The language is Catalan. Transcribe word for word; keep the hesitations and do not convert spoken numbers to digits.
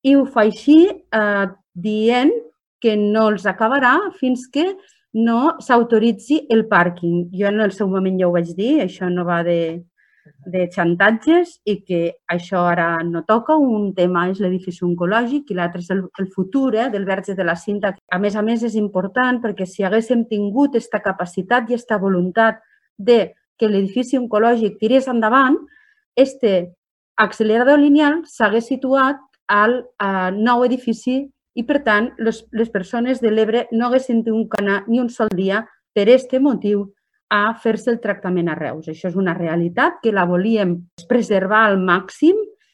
i ho fa així eh, dient que no els acabarà fins que no s'autoritzi el pàrquing. Jo en el seu moment ja ho vaig dir, això no va de, de xantatges i que això ara no toca. Un tema és l'edifici oncològic i l'altre és el, el futur eh, del Verge de la Cinta. A més a més, és important perquè si haguéssim tingut aquesta capacitat i aquesta voluntat de que l'edifici oncològic tirés endavant, este accelerador lineal s'hagués situat al eh, nou edifici i, per tant, les, les persones de l'Ebre no haguessin tingut que anar ni un sol dia per aquest motiu a fer-se el tractament a Reus. Això és una realitat que la volíem preservar al màxim